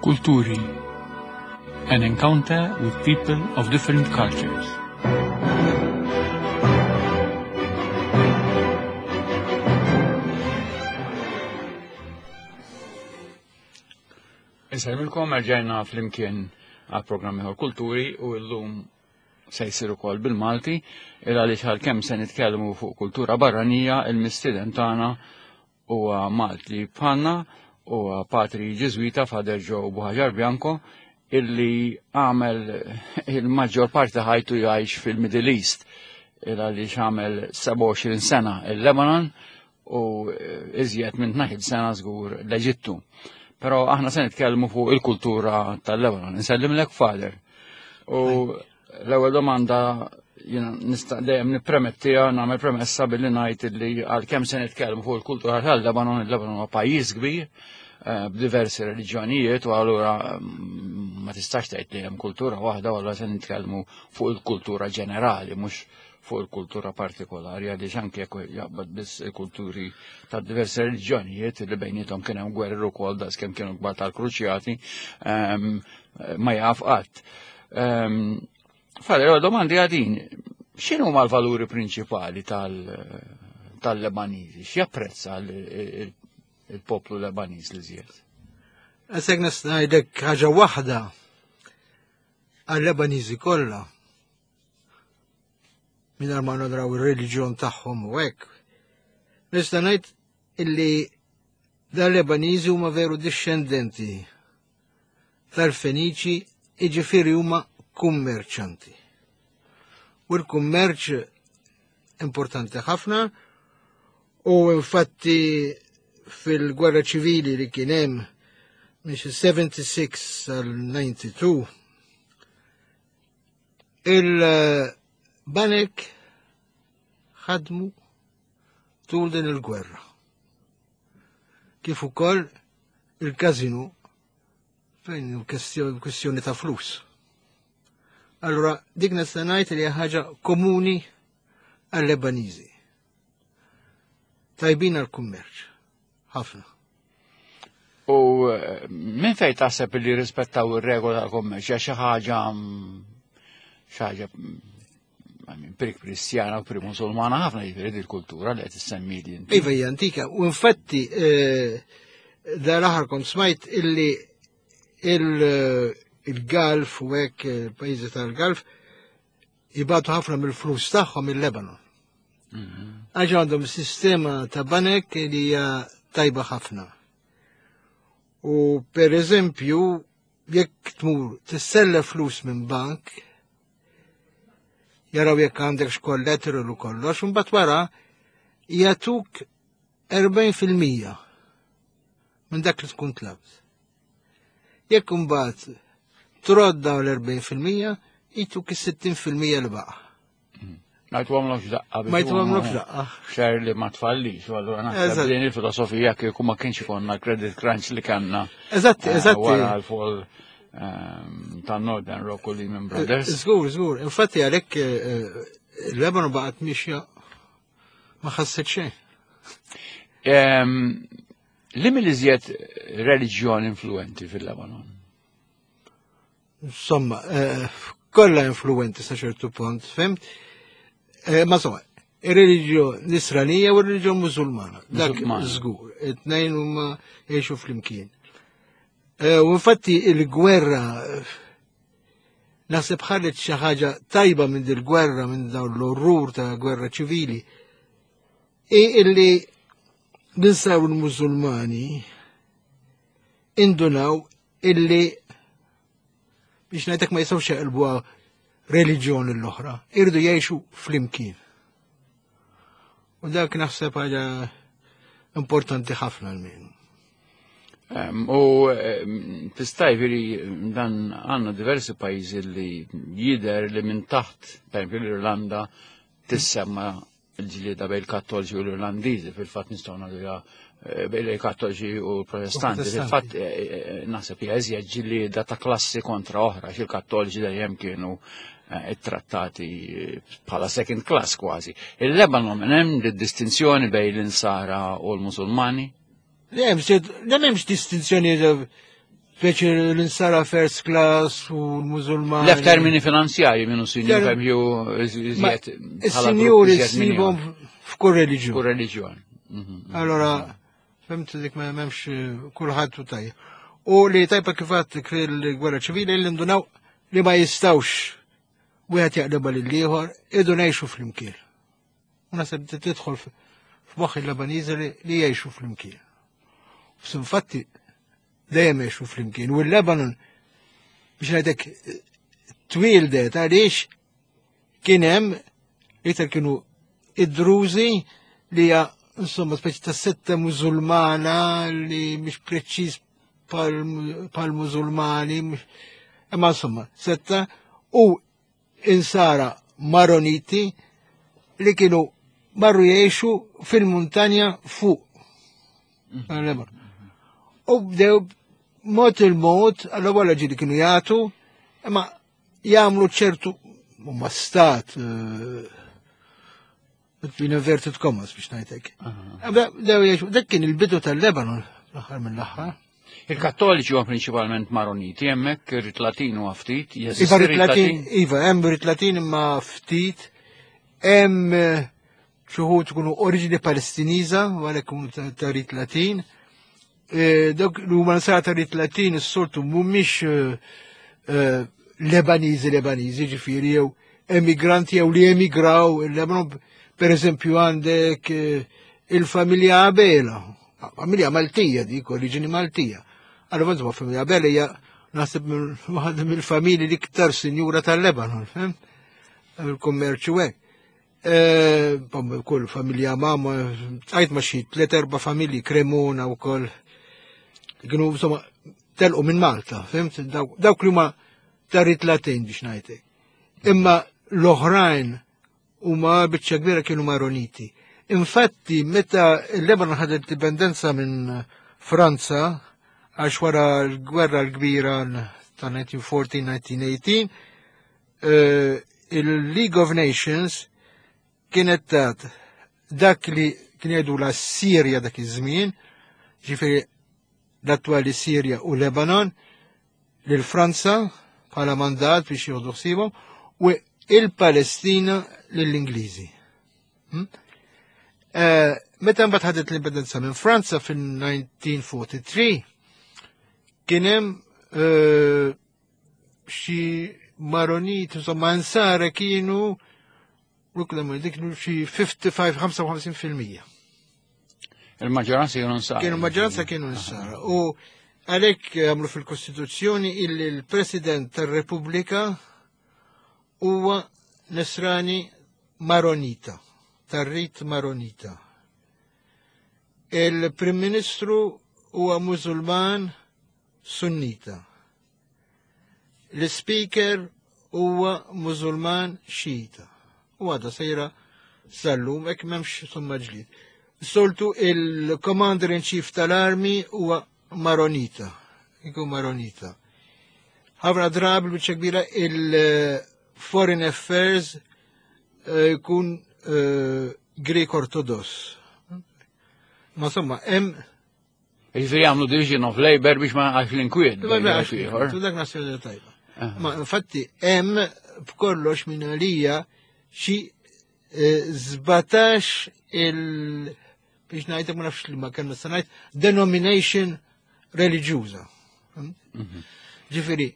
Kulturi. An encounter with people of different cultures. Insellmilkom erġajna flimkien għal programm ieħor Kulturi u llum se jsir ukoll bil-Malti il għaliex għalkemm se nitkellmu fuq kultura barranija il-mistieden tagħna huwa Malti bħalna huwa patri Ġiżwita Father Joe Buhaġar Bianco illi għamel il-maġġor parti ħajtu jgħix fil-Middle East il għaliex għamel 27 sena il-Lebanon u iżjed minn 12 sena żgur l-Eġittu. Però aħna se nitkellmu fuq il-kultura tal-Lebanon. Insellimlek Father. U l-ewwel domanda jiena nista' dejjem nippremettiha nagħmel premessa billi ngħid li għalkemm se nitkellmu fuq il-kultura tal-Lebanon, il-Lebanon huwa pajjiż kbir eh, b'diversi reliġjonijiet u allura mm, ma tistax tgħid li hemm kultura waħda u allura se nitkellmu fuq il-kultura ġenerali mhux fuq il-kultura partikolari għaliex anke jekk jaqbad biss il-kulturi ta' diversi reliġjonijiet li bejnietom kien hemm gwerri wkoll daqs kemm kienu kbar tal-kruċjati ehm, ma jaf qatt. Ehm, Fara, domandi għadin, x'inhu ma l-valuri prinċipali tal-Lebaniżi? X'japprezza il-poplu Lebaniż li żjed? Għasek ngħidlek ħaġa waħda għal-Lebaniżi kollha. Mingħajr ma nadraw ir-reliġjon tagħhom u hekk. Nista' ngħid illi dal-Lebaniżi huma veru dixxendenti tal-Feniċi jiġifieri huma kummerċanti. U l-kummerċ importanti ħafna u infatti fil-gwerra ċivili li kien hemm minn 76 sal-92 il-banek ħadmu tul din il-gwerra. Kif ukoll il-kazinu fejn kwestjoni ta' flus. Allora, dik nista' ngħid li ħaġa komuni għal-Lebaniżi. Tajbin għal-kummerċ. Ħafna. U eh, minn fejn taħseb li rispettaw ir-regola tal-kummerċ hija xi ħaġa mm, xi ħaġa mm, prik kristjana u pri musulmana ħafna jiġifieri il-kultura li qed issemmi li inti. Iva hija antika, u infatti eh, dar aħar kont smajt illi il-Galf u hekk il-pajjiżi tal-Galf jibatu ħafna mill-flus tagħhom il-Lebanon. Mhm. Għax għandhom sistema ta' banek li hija tajba ħafna. U per eżempju, jekk tmur tissella flus minn bank, jaraw jekk għandek x'kollateral u kollox, u mbagħad wara jagħtuk 40% minn dak li tkun tlabt. Jekk imbagħad trodd dawn l-40% jituk is-60% li baqa'. Ma jtuhomlokx daqqa. Ma jtuhomlokx daqqa. Xer li ma tfallix, u allura naħseb din il-filosofija kieku ma kienx ikonna credit crunch li kellna. Eżatt, eh, eżatt. Wara l-fall ehm, ta' Northern Rock u Lehman Brothers. Żgur, żgur. Infatti għalhekk eh, il-Lebanon baqgħet mixja ma ħasset xejn. Ehm, li mill-iżjed reliġjon influenti fil-Lebanon? Insomma, eh, kollha influenti sa ċertu punt, fimt? Eh, ma insomma, ir-reliġjon nisranija u r-reliġjon musulmana. Dak żgur, it-tnejn huma jgħixu flimkien. Eh, u infatti il-gwerra naħseb ħaret xi ħaġa tajba minn dil-gwerra minn dawn l-orrur ta' gwerra ċivili. I illi ninsaw il-Musulmani indunaw illi biex ngħidlek ma jistgħux jaqilbuha reliġjoni l-oħra, irdu jgħixu flimkien. U dak naħseb ħaġa importanti ħafna l-min. U tista' jiġifieri dan għandna diversi pajjiżi li jidher li minn taħt, per l-Irlanda tissemma il-ġlieda bejn il-Kattoliċi u l-Irlandiżi, fil-fatt nistgħu ngħidu eh, bejn il-Kattoliċi u l-Protestanti. Fil-fatt eh, eh, naħseb hija iżjed ġlieda ta' klassi kontra oħra, xi l-Kattoliċi dejjem kienu ittrattati bħala second class kważi. Il-Lebanon hemm distinzjoni bejn l-insara u l-Musulmani? Le, m'hemmx distinzjoni. Speċi l-insara first class u l-Mużulmani. Lef termini finanzjari minnu sinjur, per iżjed. Is-sinjuri ssibhom f'kull reliġjon. Kull reliġjon. Allora, fimt dik ma hemmx kulħadd u tajjeb. U li tajba kif għedt fil-gwerra ċivili li ndunaw li ma jistawx wieħed jaqlebha lil ieħor, idu ngħixu flimkien. U naħseb tidħol f'moħħ il-Lebaniżi li jgħixu flimkien. Infatti dejjem jgħixu flimkien. U l-Lebanon biex ngħidlek twildet għaliex kien hemm iktar kienu id-Drużi li hija insomma speċi ta' setta mużulmana li mhix preċiż pal mużulmani, imma insomma setta u insara Maroniti li kienu marru jgħixu fil-muntanja fuq. U bdew mod il-mod, għall-ewwel ġieli kienu jagħtu, imma jagħmlu ċertu huma stat in inverted commas biex ngħidlek. Bdew jgħixu, dak kien il-bidu tal-Lebanon l-aħħar mill-aħħar. Il-Kattoliċi huwa prinċipalment Maroniti, hemmhekk ir-rit Latin huwa ftit, jeżisti Iva rit Latin, iva, hemm rit Latin imma ftit, hemm xi wħud ikunu oriġini Palestiniża, u għalhekk ikunu ta' rit Latin. Dawk li huma nsara ta' rit Latin is-soltu mhumiex Lebaniżi Lebaniżi, ġifieri jew emigranti jew li emigraw il-Lebanon, per eżempju għandek il-familja Abela, familja Maltija dik, oriġini Maltija. Allora, insomma, familja Abela hija naħseb waħda mill-familji l-iktar sinjura tal-Lebanon, fem? Il-kummerċu hekk. Kull familja mama, għajt ma xi tliet erba' familji Cremona u koll. Kienu insomma telqu minn Malta, fimt? Dawk li huma ta' rit Latin biex ngħidlek. Imma l-oħrajn huma biċċa kbira kienu Maroniti. Infatti, meta il-Lebanon ħadet indipendenza minn Franza, għax wara l-gwerra l-kbira ta' 1914-1918, il-League of Nations kienet tat dak li kien jgħidu la Sirja dak iż-żmien, ġifieri l-attwali Sirja u Lebanon, lil Franza bħala mandat biex jieħdu ħsiebhom u il-Palestina lill-Ingliżi. Meta mbagħad ħadet l-indipendenza minn Franza fil-1943, kien hemm xi Maronit, insomma, nsara kienu dik xi 55%. Il-maġġoranza kienu nsara. Kienu maġġoranza kienu nsara. U għalhekk għamlu fil-Kostituzzjoni illi l-President tar-Repubblika huwa Nisrani Maronita, tar-rit Maronita. Il-Prim Ministru huwa Musulman Sunnita. L-Speaker huwa Musulman Xita. U għadha sejra sal-lum, hekk m'hemmx somma ġlid. Soltu il-Commander in Chief tal-Army huwa Maronita. Ikun Maronita. Ħafna drabi biċċa kbira il-Foreign Affairs jkun Greek Orthodox. Ma insomma, hemm Jiġifieri jagħmlu division of labor biex ma għax l-inkwiet. Ma għax l-inkwiet, dak naħseb tajba. Ma infatti hemm b'kollox minn għalija xi 17 il biex ngħidlek ma nafx li ma kemm nista' ngħid denomination reliġjuża. Ġifieri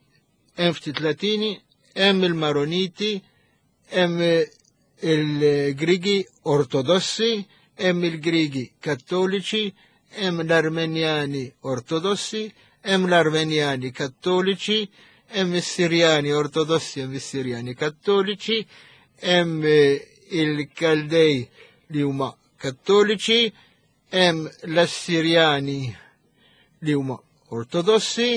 hemm ftit Latini, hemm il-Maroniti, hemm il-Grigi Ortodossi, hemm il-Grigi Kattoliċi, hemm l-Armenjani Ortodossi, hemm l-Armenjani Kattoliċi, hemm is-Sirjani Ortodossi, hemm is-Sirjani Kattoliċi, hemm il-Kaldej li huma Kattoliċi, hemm l-Assirjani li huma Ortodossi,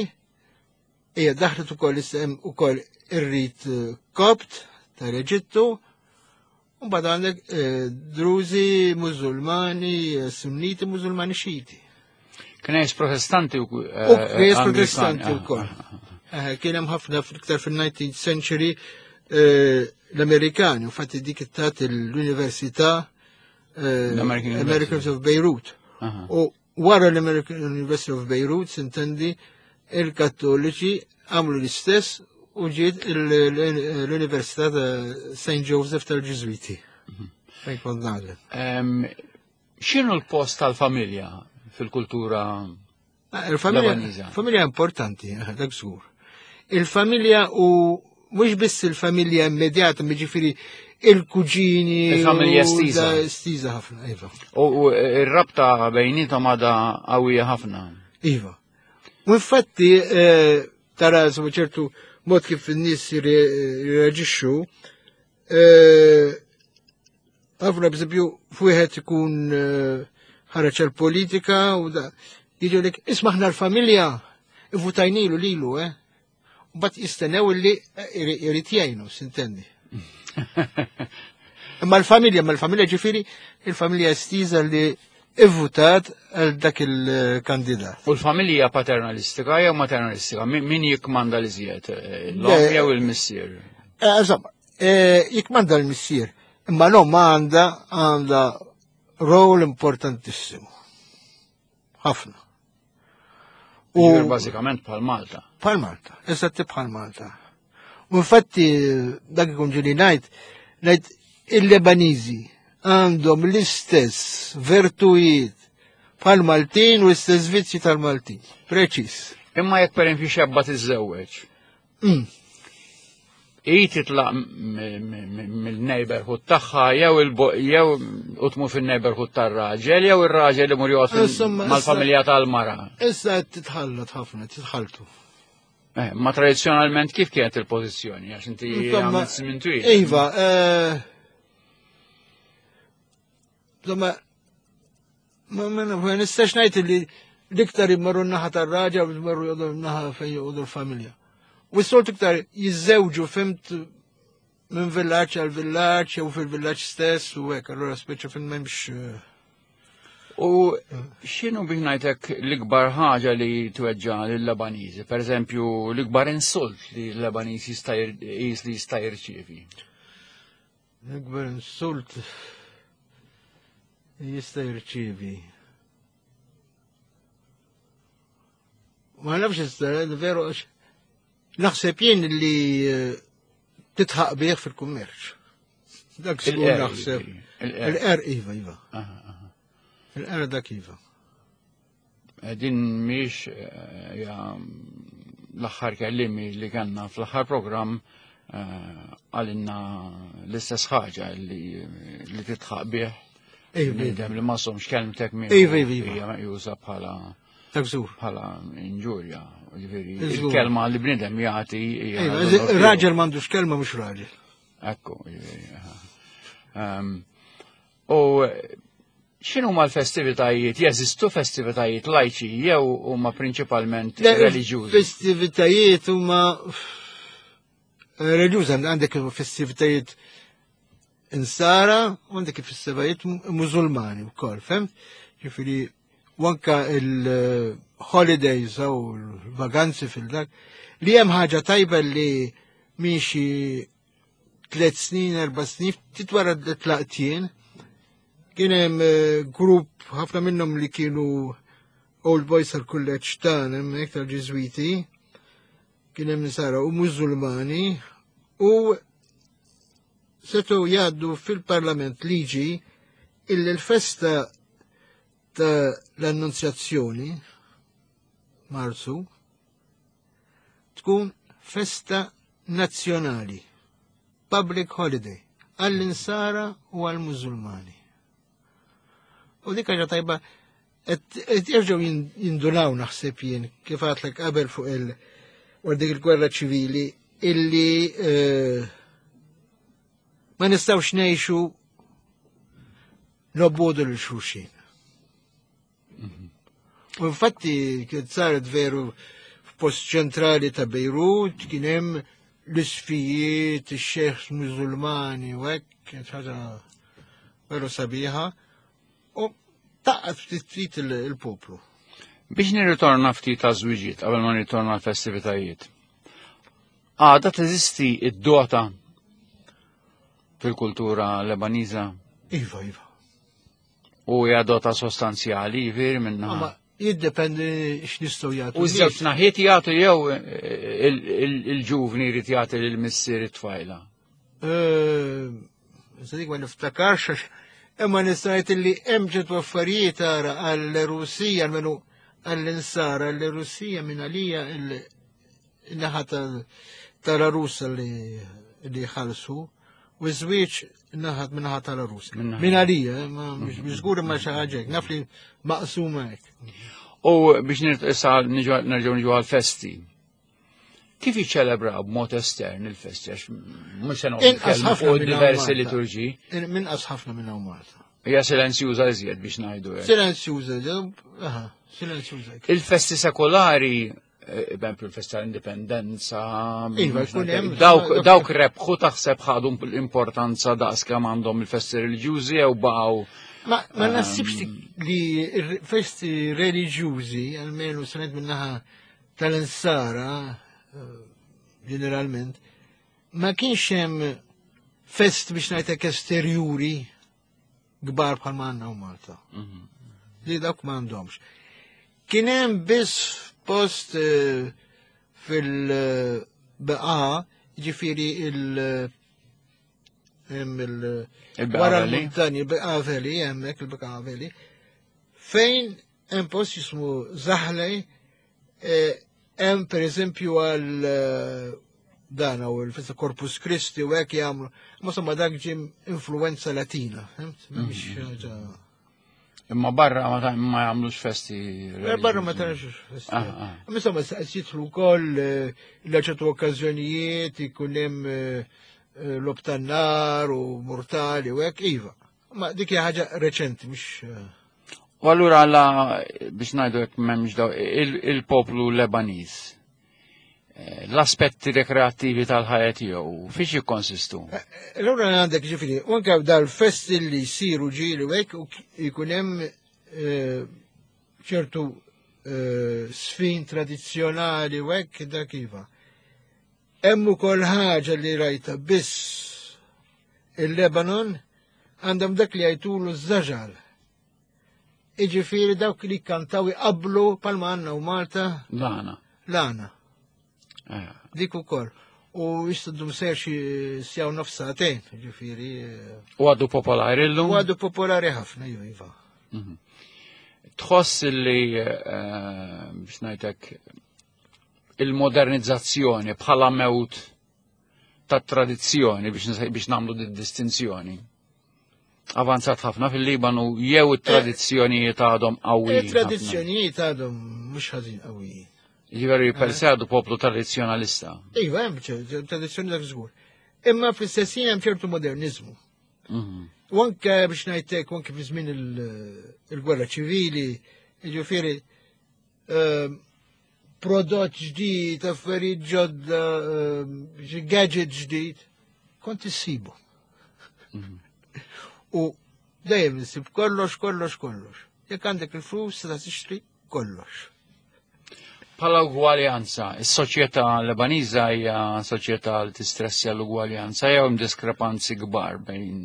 hija daħlet ukoll hemm ukoll ir-rit Kopt tal-Eġittu, u mbagħad għandek Druzi, Mużulmani, Sunniti, Mużulmani Xiti. Knejjes Protestanti u U knejjes Protestanti wkoll. Kien hemm ħafna iktar fil-19th century l-Amerikani, infatti dik tat l-Università L-American American University. of Beirut. U wara l-American University of Beirut, sintendi, Il-Kattoliċi għamlu l-istess u ġiet l-Università ta' St. Joseph tal-Ġiżwiti. Fejn kont nagħlem. X'inhu l-post tal-familja fil-kultura ah, Il-familja familja importanti, eh, dak żgur. Il-familja u mhux biss il-familja immedjata, jiġifieri il-kuġini. Il-familja estiża. Estiża ħafna, iva. U r-rabta bejnietom għadha qawwija ħafna. Iva. U infatti eh, tara ċertu mod kif in-nies jirreaġixxu, eh, ħafna b'eżempju f'wieħed ikun eh, ħareġ għall-politika u da jiġu lek isma' aħna l-familja ivvutajnilu lilu, eh. U bat jistennew li irid jgħinu, sintendi. Imma l-familja, ma l-familja ġifieri, il-familja estiża li ivvutat għal dak il-kandidat. U l-familja paternalistika jew maternalistika, min jikmanda li żjed? Eh, l-om jew il-missier? Eh, insomma, eh, jikmanda l-missier, imma l-om għanda għanda rol importantissimu. Ħafna. U bażikament bħal Malta. Bħal Malta, eżatt bħal Malta. U infatti dak ikun ġili ngħid, ngħid il-Lebaniżi għandhom l-istess vertujiet bħal Maltin u l-istess vizzji tal-Maltin. Preċis. Imma jekk per xebba tiżżewweġ. I titlaq mill-neighborhood tagħha jew jew u tmur fin-neighborhood tar-raġel jew ir-raġel imur joqgħod mal-familja tal-mara. Issa qed titħallat ħafna, titħalltu. Eh, ma tradizzjonalment kif kienet il-pożizzjoni għax inti għamilt żmien twil. Iva, eh, insomma, ma nistax ngħid li l-iktar immorru n-naħa tar-raġa u jmorru jgħodu n-naħa fejn jgħodu l-familja. U s-solt iktar jiżżewġu fimt minn villaġġ għal villaġġ jew fil-villaġġ stess u hekk, allura speċa fil m'hemmx. Eh, u x'inhu biex ngħidlek l-ikbar ħaġa li tweġġa lill-Lebaniżi? Per eżempju, l-ikbar insult li l-Lebaniż jista' li jista' jirċievi. L-ikbar insult jista' jirċievi. Ma nafx issa, veru, naħseb jien li eh, titħaq bih fil-kummerċ. Dak żgur naħseb. Il-er iva, iva. Il-er dak iva. Eh, din miex eh, l-aħħar kellimi li kellna fl-aħħar programm eh, għalinna l-istess ħaġa li titħaq bih. Bniedem li ma somx kelmtek minn. Iva, iva, iva. Hija meqjusa bħala Takżur. Bħala inġurja. Ġifieri, il-kelma li bniedem jagħti. Raġel m'għandux kelma mhux raġel. Ekku, ehm, U x'inhuma l-festivitajiet? Jeżistu festivitajiet lajċi jew huma prinċipalment reliġjużi? Festivitajiet huma reliġjużi għandek festivitajiet insara u għandek festivitajiet mużulmani wkoll, fem? Ġifieri u anka il-holidays u l-vaganzi fil-dak li hemm ħaġa tajba li miexi tlet snin, erba snin, ftit wara tlaqt jien, kien hemm eh, grupp ħafna minnhom li kienu old boys tal-kulleġġ tagħna hemmhekk tal-Ġiżwiti, kien hemm nisara u Mużulmani u setgħu jgħaddu fil-Parlament liġi illi l-festa ta' l-Annunzjazzjoni Marzu tkun festa nazzjonali, public holiday, għall-insara u għall-Mużulmani. U dik ħaġa tajba, qed jerġgħu jindunaw naħseb jien kif għatlek qabel fuq il wara dik il-gwerra ċivili illi eh, ma nistgħux ngħixu nobbodu lil xulxin. U infatti kien saret veru f'post ċentrali ta' Bejrut kien hemm l-isfijiet, ix-xejħ Mużulmani u hekk, kienet ħaġa veru sabiħa. U taqqat ftit ftit il-poplu. Biex nirritorna ftit ta' żwiġiet qabel ma nirritorna l-festivitajiet. Għada teżisti id-dota fil-kultura Lebaniża? Iva, iva. U hija dota sostanzjali, jiġifieri minna. Jiddependi x'nistgħu jagħtu. U żewġ naħiet jagħtu jew eh, il-ġuvni jrid jagħti lil missier it-tfajla. Eh, dik ma niftakarx imma nista' ngħid li hemm ċertu affarijiet ara għall-Rusija almenu għall-insara għall-Rusija minn għalija il-naħa tal-Russa li ħalsu u żwieġ naħat minn naħa tal-Rus. Minn għalija, eh, mhux żgur imma xi ħaġa naf li maqsuma hekk. U biex nirtqisa nerġgħu niġu għall-festi. Kif jiċċelebraw b'mod estern il-festi għax mhux se noqgħod fuq diversi liturġi. Minqas ħafna minn hawn Malta. Hija silenzjuża iżjed biex ngħidu hekk. Silenzjuża, aha, silenzjuża. Il-festi sekolari eh, bemplu l-festa l-indipendenza. Iva, dawk rebħu taħseb ħadu l-importanza daqs kemm għandhom il-festi reliġjużi jew baqgħu. Ma, ma ehm, nasibx li festi reliġjużi, almenu sanet minnaħa tal-insara, eh, ġeneralment, ma kienx hemm fest biex ngħidlek esterjuri kbar bħal ma għandna u Malta. Mhm. Li dawk ma għandhomx. Kien hemm biss post eh, fil-beqa, ġifieri il- hemm il- wara l-muntani, il-beqa veli, hemmhekk il-beqa veli, fejn hemm post jismu Zaħlej, eh, hemm pereżempju għal eh, dan u l-festa Corpus Christi u hekk jagħmlu. Ma somma dak ġim influenza Latina, fimt? Mhix mhm. ħaġa. Imma barra ma jagħmlux festi. Eh, barra ma tagħmlux festi. Ah, ah. Imma insomma jidħlu wkoll eh, ċertu okkażjonijiet ikun hemm eh, lob tan-nar u mortali u hekk iva. Ma dik hija ħaġa reċenti mhux. U allura la biex ngħidu hekk m'hemmx daw il-poplu Lebaniż eh, l-aspetti rekreattivi tal-ħajja tiegħu fiex jikkonsistu? Eh, allura għandek ġifieri, u anke dal-festi li jsiru ġieli u hekk jkun hemm eh, ċertu sfin tradizzjonali u hekk dak iva. Hemm ukoll ħaġa li rajta biss il-Lebanon għandhom dak li jgħidulu ż-żaġal. Iġifieri dawk li kantaw iqablu palma għandna u Malta. Lana. Lana. Eh. Dik ukoll. U jistuddu ser xi sjaw nofs sagħtejn, ġifieri. Eh. U għadu popolari llum? U għadu popolari ħafna, iva, iva. Mhm. Tħoss li eh, biex ngħidlek il-modernizzazzjoni bħala mewt tat tradizzjoni biex nagħmlu di distinzjoni. Avanzat ħafna fil-Libanu jew it-tradizzjonijiet għadhom qawwijin. Il-tradizzjonijiet għadhom mhux ħażin qawwijin. Jiġifieri per se għadu poplu tradizzjonalista. Iva, hemm tradizzjoni dak żgur. Imma fl-istess hemm ċertu modernizmu. Mhm. U anke biex ngħidlek, anke fi żmien il-gwerra ċivili, jiġifieri ehm, prodott ġdid, affarijiet ġodda, ehm, gadget ġdid, kont issibu. Mhm. U dejjem insib kollox, kollox, kollox. Jekk għandek il-flus, ta' tixtri kollox. Bħala ugwaljanza, is-soċjetà Lebaniża hija soċjetà li tistressja l-ugwaljanza jew hemm diskrepanzi kbar bejn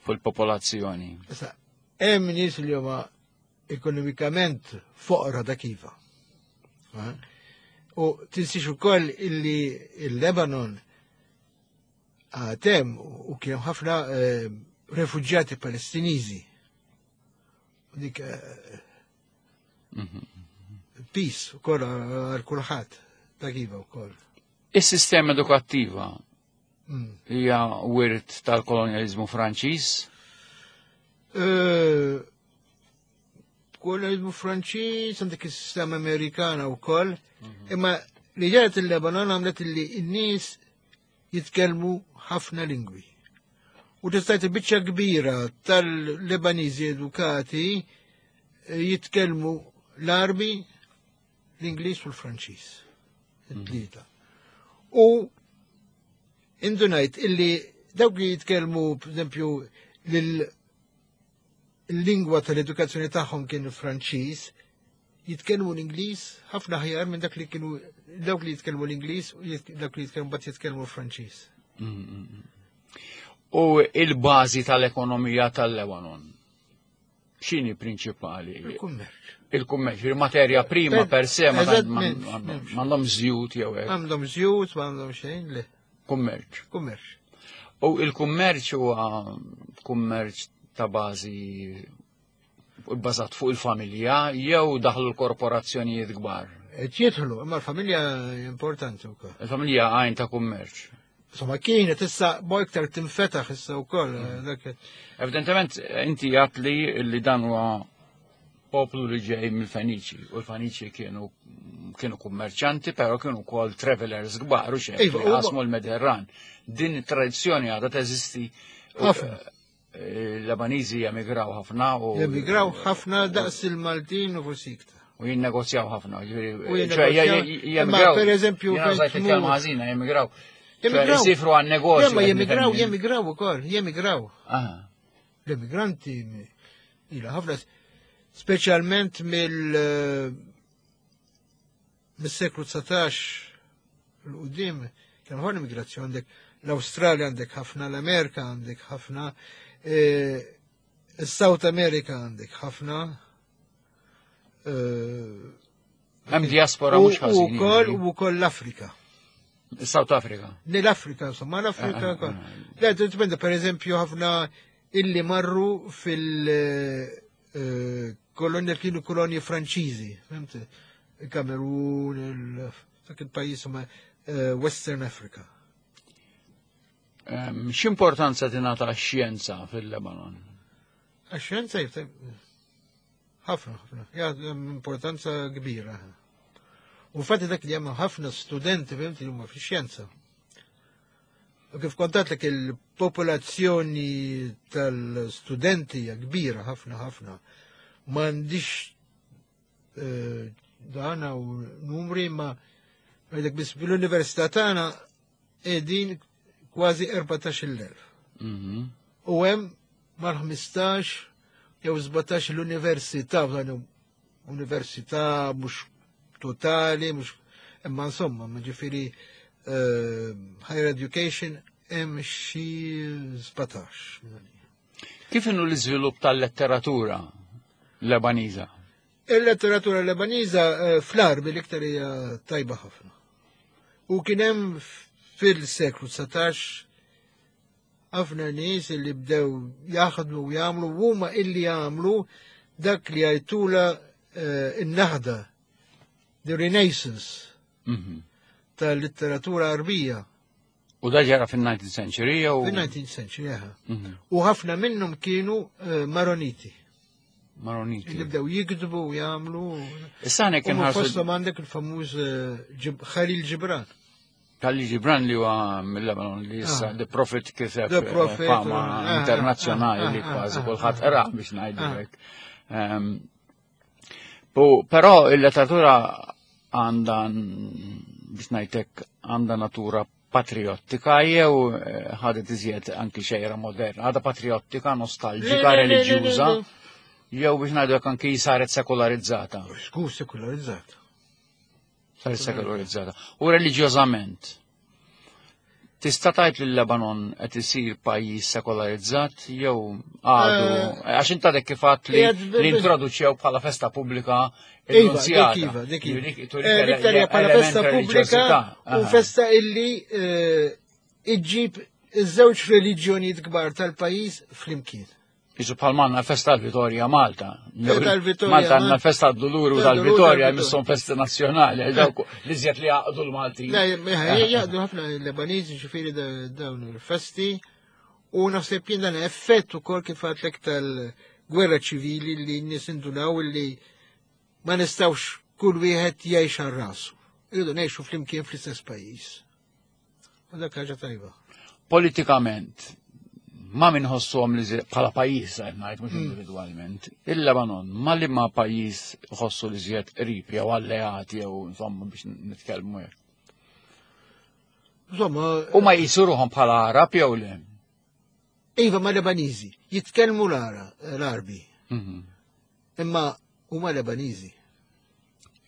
fuq il-popolazzjoni. Issa, hemm nies li huma ekonomikament foqra dak iva. U tinsiex ukoll illi il-Lebanon għatem u kien ħafna eh, refuġjati Palestiniżi. U dik eh, mhm. peace ukoll għal kulħadd dak iva wkoll. Is-sistema edukattiva mm. hija wirt tal-kolonjalizmu Franċiż? Eh, kolonjalizmu Franċiż, għandek is-sistema Amerikana wkoll, mhm. imma li ġaret il-Lebanon għamlet li n-nies jitkellmu ħafna lingwi. U tistajt biċċa kbira tal-Lebaniżi edukati eh, jitkellmu l-Arbi, l-Ingliż u l-Franċiż. It-tlieta. U indunajt illi dawk li jitkellmu, per l-lingwa tal-edukazzjoni tagħhom kien il-Franċiż, jitkellmu l-Ingliż ħafna ħjar minn dak li kienu dawk li jitkellmu l-Ingliż u dawk li jitkellmu bat jitkellmu l-Franċiż. Mm, mm, mm. U il-bażi tal-ekonomija tal-Lebanon x'inhi prinċipali? Il-kummerċ. Il-kummerċ, il-materja prima per se ma m'għandhom żjut jew hekk. Għandhom żjut, m'għandhom xejn, le. Kummerċ. Kummerċ. U il-kummerċ huwa kummerċ ta' bażi bbażat fuq il-familja jew daħlu l-korporazzjonijiet kbar? Qed jidħlu, imma l-familja importanti wkoll. Il-familja għajn ta' kummerċ. Insomma, kienet issa bo iktar tinfetaħ issa wkoll. Mm. Eh, Evidentement, inti għat li li dan huwa poplu li ġej mill-Feniċi, u l-Feniċi kienu kienu kummerċanti, però kienu wkoll travelers kbar u xejn, iva, qasmu l-Mediterran. Din it-tradizzjoni għadha teżisti. Ħafna. L-Lebaniżi jemigraw ħafna u. Jemigraw ħafna daqs il-Maltin u forsi iktar. U jinnegozjaw ħafna. Jemigraw. Per eżempju. Jena kelma ħażina, jemigraw. Jemigraw. Jisifru għan negozju. Jemma jemigraw, jemigraw ukoll, jemigraw. L-emigranti ila ħafna, speċjalment mill mis-seklu 19 l-qudiem kien ħafna immigrazzjoni għandek l-Awstralja għandek ħafna, l-Amerika għandek ħafna, e, South America għandek ħafna. E, Hemm diaspora mhux ħażin. Ukoll u wkoll l-Afrika. South Africa. Ne l-Afrika, insomma, l-Afrika. Ah, ah, ah. Le, dipenda, per eżempju, ħafna illi marru fil-kolonja eh, kienu kolonji Franċiżi, fhimt? Il-Kamerun, dak il-pajjiż huma eh, Western Africa. Ehm, x'importanza tingħata x-xjenza fil-Lebanon? Għax-xjenza ħafna, ħafna. Ja, importanza kbira. U fatti dak li hemm ħafna studenti fhimt li huma fix-xjenza. U kif kontatlek il-popolazzjoni tal-studenti hija kbira ħafna ħafna. M'għandix eh, dana u numri ma għedek biss bil-università tagħna qegħdin kważi 14,000. Mhm. U hemm mal-15 jew 17 l-università, università mhux totali, mhux imma insomma, ma ġifieri eh, higher education hemm xi 17. Kif inhu l-iżvilupp tal-letteratura Lebaniża? Il-letteratura Lebaniża eh, fl-Arbi l-iktar hija tajba ħafna. U kien hemm fil-seklu 19 ħafna nies li bdew jaħdmu u jagħmlu huma illi jagħmlu dak li jgħidula eh, in-naħda, the Renaissance mhm. tal-litteratura Arbija. U da ġara fin-19th century jew? Fin-19th century, jaha. Mhm. U ħafna minnhom kienu eh, Maroniti. Maroniti. Li bdew jikdbu u jagħmlu. Issa għandek inħarsu. Fosthom għandek il-famuż eh, Khalil Gibran. Khalil Gibran li huwa mill-Lebanon li issa ah. The Prophet kiseb eh, fama ah, internazzjonali li ah, kważi kulħadd qrah biex ngħidu hekk. Ehm, però il-letteratura għandha biex ngħidlek għandha natura patriottika jew eh, ħadet iżjed anki xejra moderna, għadha patriottika, nostalġika, reliġjuża, jew biex ngħidu anki saret sekularizzata. Skur sekularizzata. Saret sekularizzata. U reliġjożament. Tista' tgħid li l-Lebanon qed isir pajjiż sekolarizzat jew għadu eh, għax inta dek kif għadt li introduċew bħala festa pubblika Iva, dik iva, dik iva. Eh, bħala festa pubblika u festa illi eh, iġġib iż-żewġ reliġjonijiet kbar tal-pajjiż flimkien. Isu bħal manna festa tal-Vitorja Malta. Malta għandna festa d-Duluru tal-Vitorja jmisshom festi nazzjonali, dawk li żjed li jaqdu l-Malti. Jaqdu ħafna l-Lebaniżi ġifieri dawn il-festi u naħseb jien dan effett ukoll kif għadlek tal-gwerra ċivili li n-nies indunaw li ma nistgħux kull wieħed jgħix għal rasu. Irridu ngħixu flimkien fl-istess pajjiż. U dak ħaġa tajba. Politikament, ma minħossuhom li bħala pajjiż qed ngħid mhux hmm. individwalment. Il-Lebanon ma li ma pajjiż ħossu li żjed qrib jew alleati jew insomma biex nitkellmu hekk. Insomma. U ma jisuruhom bħala Arab jew le? Iva ma Lebaniżi, jitkellmu l-Arbi. Mhm. Imma huma Lebaniżi.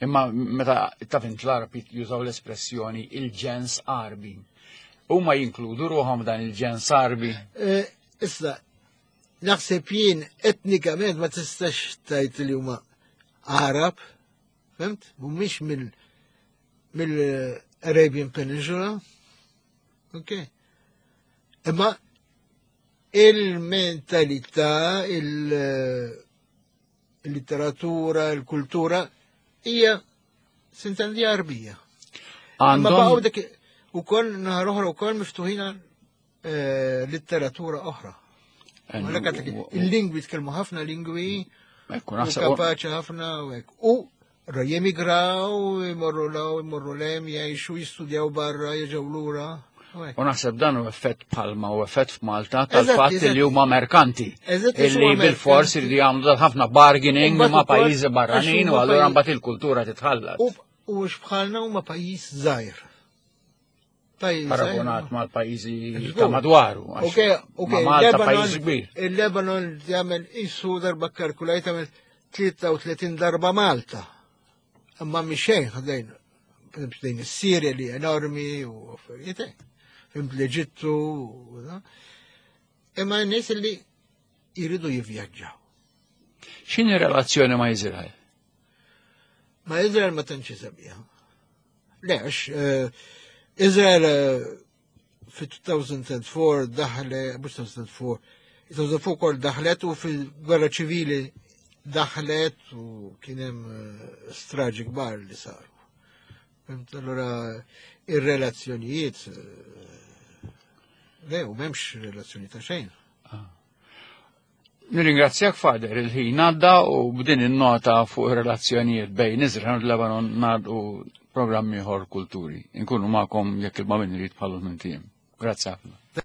Imma meta taf int l-Arab jużaw l-espressjoni il-ġens Arbi. Huma jinkludu ruħhom dan il-ġens Arbi. Eh, issa, naħseb jien etnikament ma tistax tajt li huma Arab, fhimt? Mhumiex mill mill-Arabian Peninsula. Ok. Imma il-mentalità, il-litteratura, il-kultura hija sintendi Arbija. Imma baqgħu dik ukoll naħar oħra wkoll miftuħin eh, litteratura oħra. Il-lingwi tkellmu ħafna lingwi, kapaċi ħafna u hekk. U jemigraw, imorru law, imorru lem, jgħixu, jistudjaw barra, jerġgħu lura. U naħseb dan u effett bħalma u effett f'Malta tal-fatt li huma merkanti. Illi bil-fors iridu jagħmlu ħafna bargaining ma' pajjiżi barranin u allura mbagħad il-kultura titħallat. U bħalna huma pajjiż żgħir. Paragonat mal-pajjiżi ta' madwaru. Ok, ok. Malta pajjiż kbir. Il-Lebanon jagħmel isu darba kalkulajt jagħmel 33 darba Malta. Imma mhix xejn ħdejn ħdejn is-Sirja li enormi u affarijiet hekk. Fimt l-Eġittu u da. Imma n-nies li jridu jivvjaġġaw. X'inhi relazzjoni ma' Izrael? Ma' Izrael ma tantx sabiħa. Le, għax eh, Izrael eh, fi 2004 daħle, mhux 2004, 2004 kol daħlet u fil-gwerra ċivili daħlet u kien hemm eh, straġi kbar li saru. Fimt, allura ir-relazzjonijiet le, u m'hemmx relazzjoni ta' xejn. Ah. Nirringrazzjak Fader il-ħin għadda u b'din in-nota fuq ir-relazzjonijiet bejn Iżrael u Lebanon ngħaddu programm ieħor kulturi. Inkunu magħkom jekk il-ma min irid bħalu minn Grazzi ħafna.